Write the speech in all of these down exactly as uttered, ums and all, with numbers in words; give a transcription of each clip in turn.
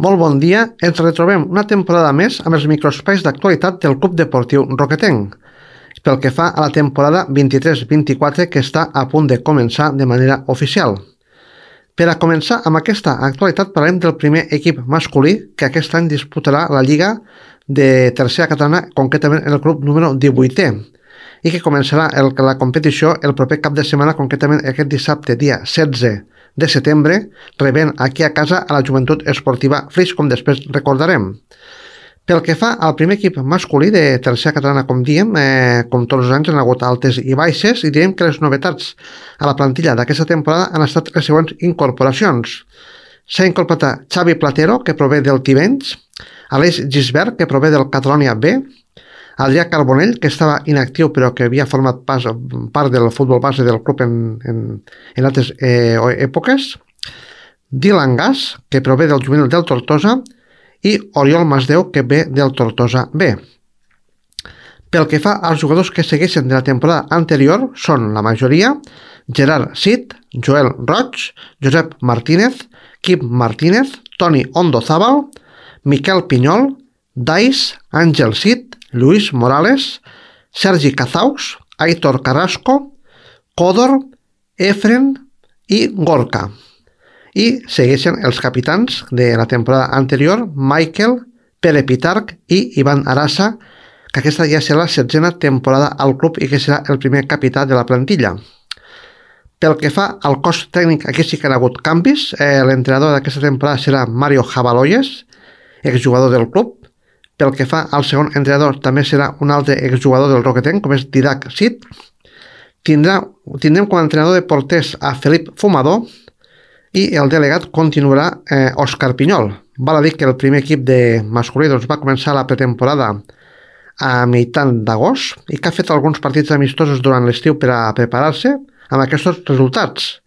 Molt bon dia, ens retrobem una temporada més amb els microespais d'actualitat del Club Deportiu Roquetenc, pel que fa a la temporada vint-i-tres vint-i-quatre que està a punt de començar de manera oficial. Per a començar amb aquesta actualitat parlem del primer equip masculí que aquest any disputarà la Lliga de Tercera Catalana, concretament el grup número divuitè, i que començarà el, la competició el proper cap de setmana, concretament aquest dissabte, dia setze de setembre, rebent aquí a casa a la Joventut Esportiva Flix, com després recordarem. Pel que fa al primer equip masculí de Tercera Catalana, com diem, eh, com tots els anys han hagut altes i baixes, i diem que les novetats a la plantilla d'aquesta temporada han estat les següents incorporacions. S'ha incorporat Xavi Platero, que prové del Tivenys, Aleix Gisbert, que prové del Catalonia B, Adrià Carbonell, que estava inactiu però que havia format pas, part del futbol base del club en, en, en altres eh, èpoques, Dylan Gas, que prové del juvenil del Tortosa, i Oriol Masdeu, que ve del Tortosa B. Pel que fa als jugadors que segueixen de la temporada anterior, són la majoria Gerard Cid, Joel Roig, Josep Martínez, Quim Martínez, Toni Ondozábal, Miquel Pinyol, Dais, Àngel Cid, Luis Morales, Sergi Cazaus, Aitor Carrasco, Codor, Efren i Gorka. I segueixen els capitans de la temporada anterior, Michael, Pere Pitarch i Ivan Arasa, que aquesta ja serà la setzena temporada al club i que serà el primer capità de la plantilla. Pel que fa al cos tècnic, aquí sí que han hagut canvis. Eh, L'entrenador d'aquesta temporada serà Mario Jabaloyes, exjugador del club. Pel que fa al segon entrenador, també serà un altre exjugador del Roquetenc, com és Didac Cid. Tindrà, tindrem com a entrenador de porters a Felip Fumador i el delegat continuarà eh, Òscar Pinyol. Val a dir que el primer equip de masculí doncs, va començar la pretemporada a meitat d'agost i que ha fet alguns partits amistosos durant l'estiu per a preparar-se amb aquests resultats.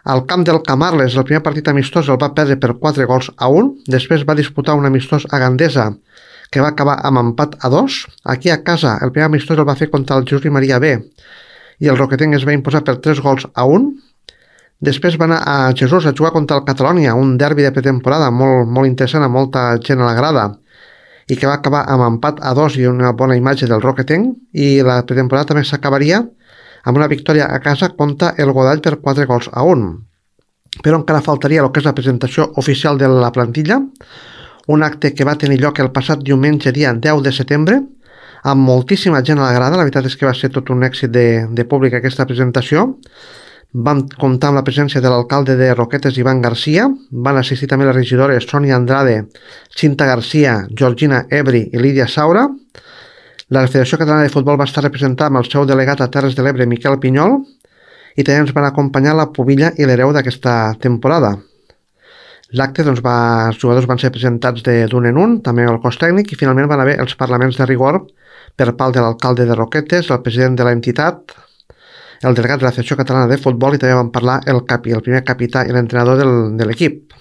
Al camp del Camarles, el primer partit amistós el va perdre per quatre gols a un, després va disputar un amistós a Gandesa que va acabar amb empat a dos. Aquí a casa el primer amistós el va fer contra el Jesús i Maria B i el Roquetenc es va imposar per tres gols a un. Després va anar a Jesús a jugar contra el Catalonia, un derbi de pretemporada molt, molt interessant, amb molta gent a la grada, i que va acabar amb empat a dos i una bona imatge del Roquetenc, i la pretemporada també s'acabaria amb una victòria a casa contra el Godall per quatre gols a un. Però encara faltaria el que és la presentació oficial de la plantilla, un acte que va tenir lloc el passat diumenge dia deu de setembre, amb moltíssima gent a la grada. La veritat és que va ser tot un èxit de, de públic aquesta presentació. Vam comptar amb la presència de l'alcalde de Roquetes, Ivan Garcia, van assistir també les regidores Sònia Andrade, Cinta Garcia, Georgina Ebri i Lídia Saura. La Federació Catalana de Futbol va estar representada amb el seu delegat a Terres de l'Ebre, Miquel Pinyol, i també ens van acompanyar la pubilla i l'hereu d'aquesta temporada. L'acte, doncs, va, els jugadors van ser presentats d'un en un, també el cos tècnic, i finalment van haver els parlaments de rigor per part de l'alcalde de Roquetes, el president de l'entitat, el delegat de la Federació Catalana de Futbol, i també van parlar el, capi, el primer capità i l'entrenador del, de l'equip.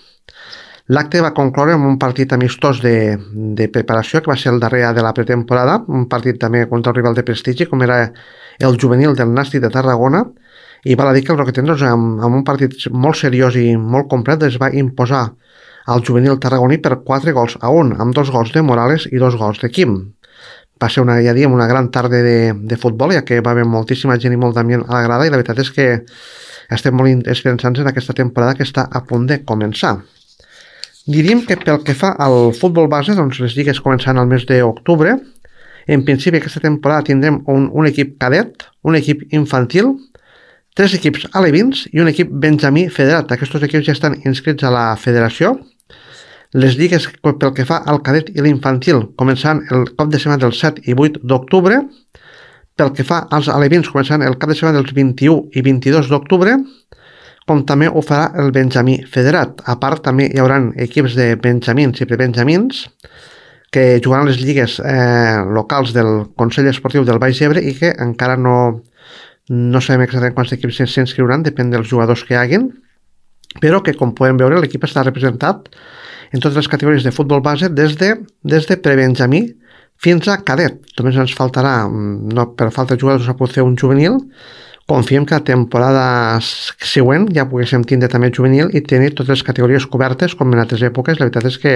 L'acte va concloure amb un partit amistós de, de preparació, que va ser el darrer de la pretemporada, un partit també contra un rival de prestigi, com era el juvenil del Nàstic de Tarragona, i val a dir que el Roquetenc, doncs, amb, amb un partit molt seriós i molt complet, es va imposar al juvenil tarragoní per quatre gols a un, amb dos gols de Morales i dos gols de Quim. Va ser una, ja diem, una gran tarda de, de futbol, ja que va haver moltíssima gent i molt d'ambient a la grada, i la veritat és que estem molt esperançats en aquesta temporada que està a punt de començar. Diríem que pel que fa al futbol base, doncs les lligues començaran al mes d'octubre. En principi aquesta temporada tindrem un, un equip cadet, un equip infantil, tres equips alevins i un equip benjamí federat. Aquests equips ja estan inscrits a la federació. Les lligues pel que fa al cadet i l'infantil començaran el cap de setmana del set i vuit d'octubre. Pel que fa als alevins començaran el cap de setmana dels vint-i-u i vint-i-dos d'octubre, com també ho farà el benjamí federat. A part, també hi haurà equips de benjamins i prebenjamins que jugaran les lligues eh, locals del Consell Esportiu del Baix Ebre i que encara no, no sabem exactament quants equips s'inscriuran, depèn dels jugadors que hi haguin, però que, com podem veure, l'equip està representat en totes les categories de futbol base des de, des de prebenjamí fins a cadet. Només ens faltarà, no, per falta de jugadors no s'ha pogut fer un juvenil, confiem que la temporada següent ja poguéssim tindre també juvenil i tenir totes les categories cobertes com en altres èpoques. La veritat és que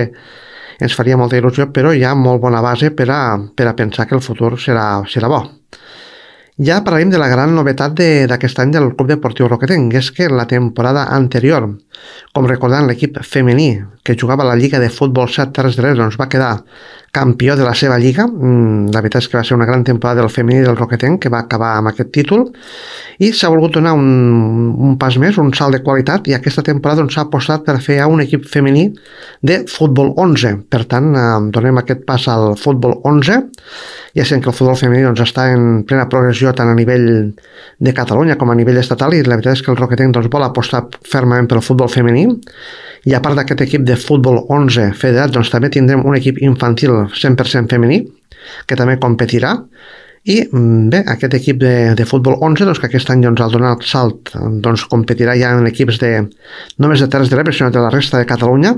ens faria molta il·lusió, però hi ha molt bona base per a, per a pensar que el futur serà, serà bo. Ja parlarem de la gran novetat d'aquest any del Club Deportiu Roquetenc, és que la temporada anterior, com recordant l'equip femení que jugava a la Lliga de Futbol set Terres de l'Ebre, doncs va quedar campió de la seva lliga. La veritat és que va ser una gran temporada del femení del Roquetenc, que va acabar amb aquest títol, i s'ha volgut donar un, un pas més, un salt de qualitat, i aquesta temporada s'ha apostat per fer un equip femení de futbol onze. Per tant, donem aquest pas al futbol onze, ja sent que el futbol femení doncs, està en plena progressió tant a nivell de Catalunya com a nivell estatal, i la veritat és que el Roquetenc doncs, vol apostar fermament pel futbol femení. I a part d'aquest equip de futbol onze federat, doncs, també tindrem un equip infantil cent per cent femení que també competirà. I bé, aquest equip de, de futbol onze, doncs, que aquest any doncs, al donar el salt doncs, competirà ja en equips de, no només de Terres de l'Ebre, sinó de la resta de Catalunya.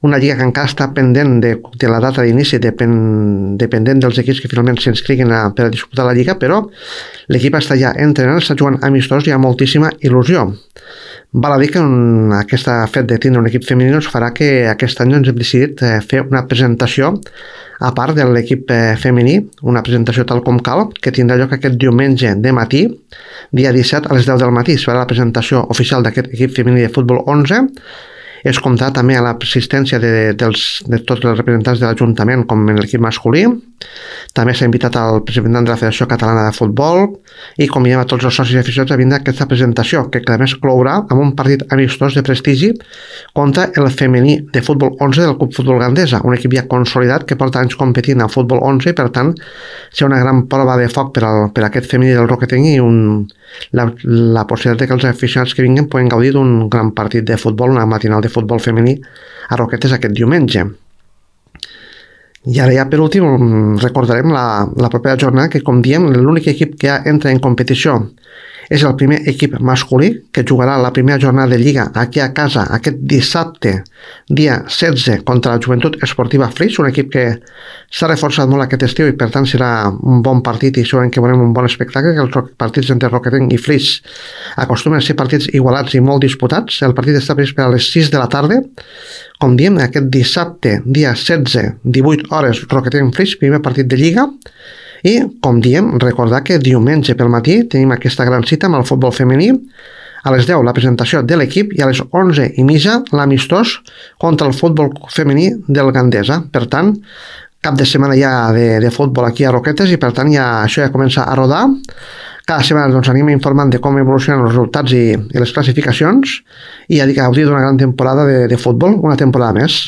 Una lliga que encara està pendent de, de la data d'inici, depèn, dependent dels equips que finalment s'inscriguin a, per a disputar la lliga, però l'equip està ja entrenant, està jugant amistós i hi ha moltíssima il·lusió. Val a dir que un, aquest fet de tindre un equip femení ens farà que aquest any ens hem decidit eh, fer una presentació a part de l'equip eh, femení, una presentació tal com cal, que tindrà lloc aquest diumenge de matí, dia disset a les deu del matí. Serà la presentació oficial d'aquest equip femení de futbol onze. Es comptarà també a l'assistència de, dels, de tots els representants de l'Ajuntament com en l'equip masculí. També s'ha invitat al representant de la Federació Catalana de Futbol i convidem a tots els socis aficionats a vindre a aquesta presentació, que a més clourà amb un partit amistós de prestigi contra el femení de futbol onze del Club Futbol Gandesa, un equip ja consolidat que porta anys competint a futbol onze i per tant serà una gran prova de foc per, al, per a aquest femení del Roquetenc i un, la, la possibilitat de que els aficionats que vinguin poden gaudir d'un gran partit de futbol, una matinal de futbol femení a Roquetes aquest diumenge. I ara ja per últim recordarem la, la propera jornada, que com diem l'únic equip que ja entra en competició és el primer equip masculí, que jugarà la primera jornada de Lliga aquí a casa aquest dissabte, dia setze, contra la Joventut Esportiva Flix, un equip que s'ha reforçat molt aquest estiu i per tant serà un bon partit i segurament que veurem un bon espectacle, que els partits entre Roquetenc i Flix acostumen a ser partits igualats i molt disputats. El partit està previst per a les sis de la tarda. Com diem, aquest dissabte, dia setze, divuit hores, Roquetenc-Flix, primer partit de Lliga. I, com diem, recordar que diumenge pel matí tenim aquesta gran cita amb el futbol femení. A les deu la presentació de l'equip i a les onze i mitja l'amistós contra el futbol femení del Gandesa. Per tant, cap de setmana ja de, de futbol aquí a Roquetes i per tant ja, això ja comença a rodar. Cada setmana doncs, anem informant de com evolucionen els resultats i, i les classificacions i a gaudir d'una gran temporada de, de futbol, una temporada més.